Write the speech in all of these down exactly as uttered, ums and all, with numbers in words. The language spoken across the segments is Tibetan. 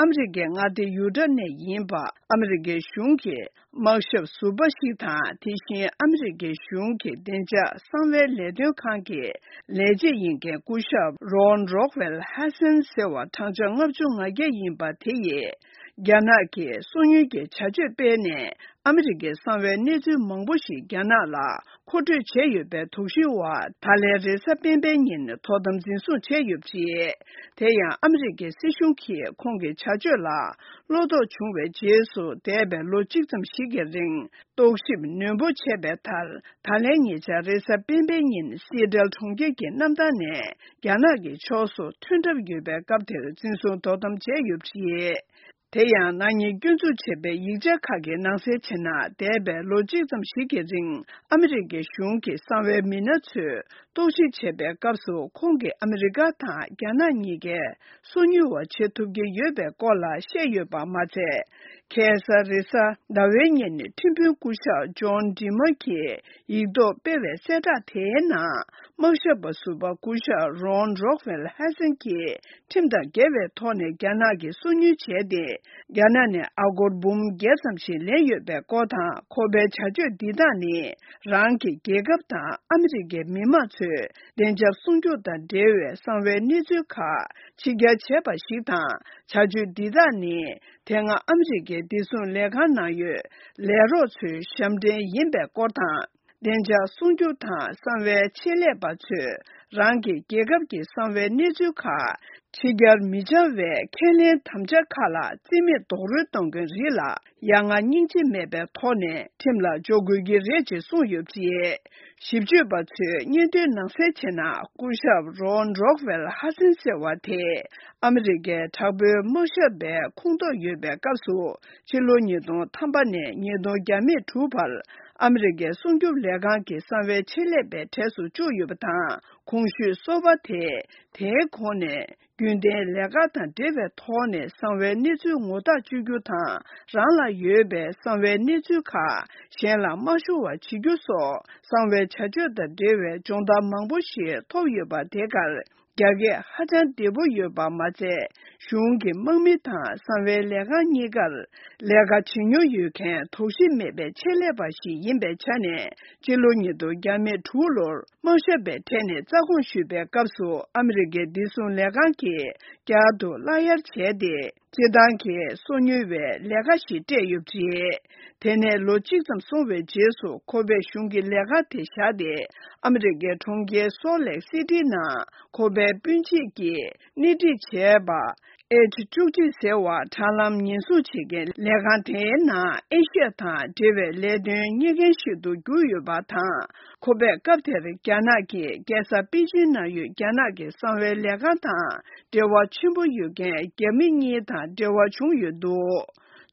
ཨ་མི་རི་ཀའི་མངའ་སྡེ་ཡུ་ཊ་ནས་ཡིན་པ། ཨ་མི་རི་ཀའི་གཞུང་གི་དམག་ཞབས་ཟུར་པ་ཞིག་དང་། དེ་བཞིན་ཨ་མི་རི་ཀའི་གཞུང་གི་བདེ་འཇགས་གསང་བའི་ལས་དོན་ཁང་གི་ལས་བྱེད་ཡིན་མཁན་སྐུ་ཞབས་Ron Rockwell Hansen ཟེར་བ། བགྲང་བྱ་ལྔ་བཅུ་ང་བརྒྱད་ཡིན་པ་དེ་ཡིས་རྒྱ་ནག་གིས་སོ་ཉུལ་གྱི་བྱ་སྤྱོད་སྤེལ་ནས། ཨ་མི་རི་ཀའི་གསང་བའི་གནས་ཚུལ་མང་པོ་ཞིག་རྒྱ་ནག་ལ་མཁོ་སྤྲོད་བྱས་ཡོད་པའི་དོགས་གཞིའི་འོག་ད་ལན་རེས་གཟའ་སྤེན་པའི་ཉིན་དོ་དམ་འཛིན་བཟུང་བྱས་ཡོད་པ་རེད། དེ་ཡང་ཨ་མི་རི་ཀའི་སྲིད་གཞུང་གིས་ཁོང་གི་བྱ་སྤྱོད་ལ་བློ་དོགས་བྱུང་བའི་རྗེས་སུ། འདས་པའི་ལོ་གཅིག་ཙམ་ཞིག་གི་རིང་རྟོག་ཞིབ་ནན་པོ་བྱས་པའི་མཐར། ད་ལན་ཉེ་ཆར་རེས་གཟའ་སྤེན་པའི་ཉིན་སི་ཨེ་ཊལ་གྲོང་ཁྱེར་གྱི་གནམ་ཐང་ནས་རྒྱ་ནག་གི་ཕྱོགས་སུ་ཐོན་གྲབས་ཡོད་པའི་སྐབས་དེར་འཛིན་བཟུང་དོ་དམ་བྱས་ཡོད་པ་རེད། དེ་ཡང་ནག་ཉེས་སྐྱོན་འཛུགས་བྱས་པའི་ཡིག་ཆ་ཁག་གི་ནང་གསལ་བྱས་ན། འདས་པའི་ལོ་གཅིག་ཙམ་ཞིག་གི་རིང་ཨ་མི་རི་ཀའི་གཞུང་གི་གསང་བའི་མི་སྣ་ཚོས་རྟོག་ཞིབ་བྱས་པའི་སྐབས་སུ། ཁོང་གིས་ཨ་མི་རི་ཀ་དང་རྒྱ་ནག་གཉིས་ཀའི་སོ་ཉུལ་བ་བྱེད་ཐུབ་ཀྱི་ཡོད་པའི་སྐོར་ལ་བཤད་ཡོད་པ་མ་ཚད། ཁ་སང་རེས་གཟའ་ཟླ་བའི་ཉིན་ཁྲིམས་དཔོན་སྐུ་ཞབས་ཇོན་ཌི་མ་གིས་ཡིག་ཐོག་སྤེལ་བའི་གསལ་བསྒྲགས་དེའི་ནང་། དམག་ཞབས་པ་ཟུར་པ་སྐུ་ཞབས་Ron Rockwell Hansen གྱིས་ཁྲིམས་དང་འགལ་བའི་ཐོག་ནས་རྒྱ་ནག་གི་སོ་ཉུལ་བྱས་ཏེ། རྒྱ་ནག་ནས་ཨ་སྒོར་འབུམ་བརྒྱད་ཙམ་ཞིག་ལེན་ཡོད་པའི་སྐོར་དང་། ཁོ་པའི་བྱ་སྤྱོད་འདི་དག་ནི་རང་གི་རྒྱལ་ཁབ་དང་ཨ་མི་རི་ཀའི་མི་དམངས་ཚོའི་བདེ་འཇགས་སྲུང་སྐྱོབ་དང་འབྲེལ་བའི་གསང་བའི་གནས་ཚུལ་ཁག་ཕྱི་གྱར་བྱས་པ་ཞིག་དང་། བྱ་སྤྱོད་འདི་དག་ནི་དེ་སྔ་ཨ་མི་རི་ཀའི་བདེ་སྲུང་ལས་ཁང་ནང་ཡོད་ལས་རོགས་ཚོའི་ཞབས་འདྲེན་ཡིན་པའི་སྐོར་དང་། བདེ་འཇགས་སྲུང་སྐྱོབ་དང་གསང་བའི་ཆེད་ལས་པ་ཚོས་རང་གི་རྒྱལ་ཁབ་ཀྱི་གསང་བའི་གནས་ཚུལ་ཁག་ཕྱི་གྱར་མི་བྱ་བའི་ཁས་ལེན་དམ་བཅའ་ཁག་ལ་རྩིས་མེད་རྡོག་རོལ་གཏོང་མཁན་རིགས་ལ་ཡ་ང་སྙིང་རྗེ་མེད་པའི་ཐོག་ནས་ཁྲིམས་ལ་འཇོག་དགོས་ཀྱི་རེད་ཅེས་གསུངས་ཡོད་པ་རེད། ཞིབ་དཔྱོད་པ་ཚོས་སྙན་ཐོའི་ནང་གསལ་བྱས་ན། སྐུ་ཞབས་Ron Rockwell Hansen ཟེར་བ་དེ་ཨ་མི་རི་ཀའི་དྲག་པོའི་དམག་ཞབས་པའི་ཁོངས་གཏོགས་ཡོད་པའི་སྐབས་སུ། ཕྱི་ལོ་ཉིས་སྟོང་ཐམ་པ་ནས་ཉིས་སྟོང་བརྒྱ་མེད་དྲུག་བར་ཨ་མི་རི་ཀའི་སྲུང་སྐྱོབ་ལས་ཁང་གི་གསང་བའི་ཆེད་ལས་པའི་གྲས་སུ་བཅུག་ཡོད་པ་དང་། གོང་ཞུས་སོ་པ་དེས་དེའི་གོང་ནས་རྒྱུན་ལྡན་ལས་ཀ་དང་འབྲེལ་བའི་ཐོག་ནས་གསང་བའི་གནས་ཚུལ་ངོ་རྟགས་བཅོལ་རྒྱུ་དང་། རང་ལ་ཡོད་པའི་གསང་བའི་གནས་ཚུལ་ཁག་གཞན་ལ་མ་ཤོར་བ་བྱེད་རྒྱུ་སོགས། གསང་བའི་བྱ་སྤྱོད་དང་འབྲེལ་བའི་སྦྱོང་བརྡར་མང་པོ་ཞིག་ཐོབ་ཡོད་པ་དེ་གར། རྒྱ་སྐད་ཧ་ཅང་བདེ་པོ་ཡོད་པ་མ་ཚད། གཞུང་གི་དམག་མི་དང་གསང་བའི་ལས་ཁང་གཉིས་ཀར་ལས་ཀ་བྱེད་མྱོང་ཡོད་མཁན་དོགས་གཞི་མེད་པའི་ཆེད་ལས་པ་ཞིག་ཡིན་པའི་ཆ་ནས། སྤྱི་ལོ་ཉིས་སྟོང་བརྒྱ་མེད་དྲུག་ལོར་དམག་ཞབས་པའི་གྲས་ནས་རྩ་དགོངས་ཞུས་པའི་སྐབས་སུ། ཨ་མི་རི་ཀའི་བདེ་སྲུང་ལས་ཁང་གིས་བསྐྱར་དུ་བརླག་གཡར་བྱས་ཏེ། སྤྱིར་བཏང་གི་སོ་ཉུལ་བའི་ལས་ཀ་ཞིག་སྤྲད་ཡོད་པ་རེད། དེ་ནས་ལོ་གཅིག་ཙམ་སོང་བའི་རྗེས་སུ། ཁོ་པས་གཞུང་གི་ལས་ཀ་དེ་བཞག་སྟེ། ཨ་མི་རི་ཀའི་གྲོང་ཁྱེར་སོལ་ལེག་སི་ཊི་ནང་ཁོ་པའི་སྤུན་མཆེད་ཀྱིས་སྣེ་ཁྲིད་བྱས་པ་ཨེཆ་བཅུ་གཅིག་ཟེར་བ། དྲ་ལམ་ཉེན་སྲུང་བྱེད་མཁན་ལས་ཁང་དེའི་ནང་ཨེ་ཤི་ཡ་དང་འབྲེལ་བའི་ལས་དོན་གཉེར་མཁན་ཞིག་ཏུ་གྱུར་ཡོད་པ་དང་། ཁོ་པས་སྐབས་དེར་རྒྱ་ནག་གི་རྒྱལ་ས་པེ་ཅིན་ནང་ཡོད་རྒྱ་ནག་གི་གསང་བའི་ལས་ཁང་དང་འབྲེལ་བ་ཆེན་པོ་ཡོད་མཁན་རྒྱ་མི་གཉིས་དང་འབྲེལ་བ་བྱུང་ཡོད་འདུག་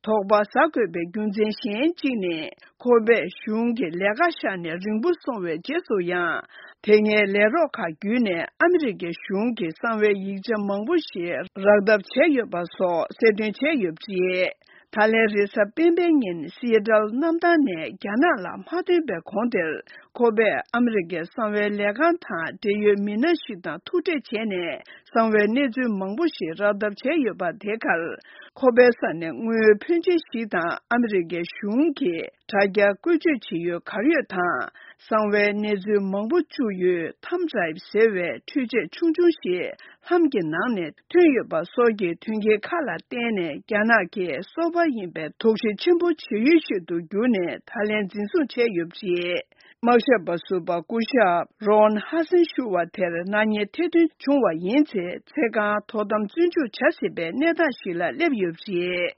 དོགས་པ་ཟ་དགོས་པའི་རྒྱུ་མཚན་གཞན་གཅིག་ནི། ཁོ་པས་གཞུང་གི་ལས་ཀ་བཞག་ནས་རིང་པོ་སོང་བའི་རྗེས་སུ་ཡང་། དེ་སྔའི་ལས་རོགས་ཁག་བརྒྱུད་ནས་ཨ་མི་རི་ཀའི་གཞུང་གི་གསང་བའི་ཡིག་ཆ་མང་པོ་ཞིག་རག་ཐབས་བྱས་ཡོད་པ་སོགས་གསལ་སྟོན་བྱས་ཡོད་པ་རེད། ད་ལན་རེས་གཟའ་སྤེན་པའི་ཉིན་སི་ཨེ་ཊལ་གནམ་ཐང་ནས་རྒྱ་ནག་ལ་མ་ཐོན་པའི་གོང་དེར། ཁོ་པས་ཨ་མི་རི་ཀའི་གསང་བའི་ལས་ཁང་དང་འབྲེལ་ཡོད་མི་སྣ་ཞིག་དང་ཐུག་འཕྲད་བྱས་ནས། གསང་བའི་གནས་ཚུལ་མང་པོ་ཞིག་རག་ཐབས་བྱས་ཡོད་པ་དེ་གར། ཁོ་པའི་ས་ནས་དངུལ་ཕོན་ཆེ་ཞིག་དང་ཨ་མི་རི་ཀའི་གཞུང་གི་དྲ་རྒྱ་བཀོལ་སྤྱོད་བྱེད་ཡུལ་གར་ཡོད་དང་། གསང་བའི་གནས་ཚུལ་མང་པོ་བཅུག་ཡུལ་ཐམ་ཌ་རའེབ་ཟེར་བའི་འཕྲུལ་ཆས་ཆུང་ཆུང་ཞིག་ལྷམ་གྱི་ནང་ནས་ཐོན་ཡོད་པ་སོགས་ཀྱི་དོན་རྐྱེན་ཁག་ལ་བརྟེན་ནས། རྒྱ་ནག་གིས་སོ་པ་ཡིན་པའི་དོགས་གཞི་ཆེན་པོ་བྱེད་ཡུལ་ཞིག་ཏུ་གྱུར་ནས། ད་ལན་འཛིན་བཟུང་བྱས་ཡོད་པ་རེད། དམག་ཞབས་པ་ཟུར་པ་སྐུ་ཞབས་རོན་ཧ་སན་ཞུ་བ་དེར་ནག་ཉེས་ཐེར་འདོན་བྱུང་བ་ཡིན་ཚེ། ཚེ་གང་དོ་དམ་བཙོན་འཇུག་བྱ་སྲིད་པའི་གནས་སྟངས་ཤིག་ལ་སླེབས་ཡོད་པ་རེད།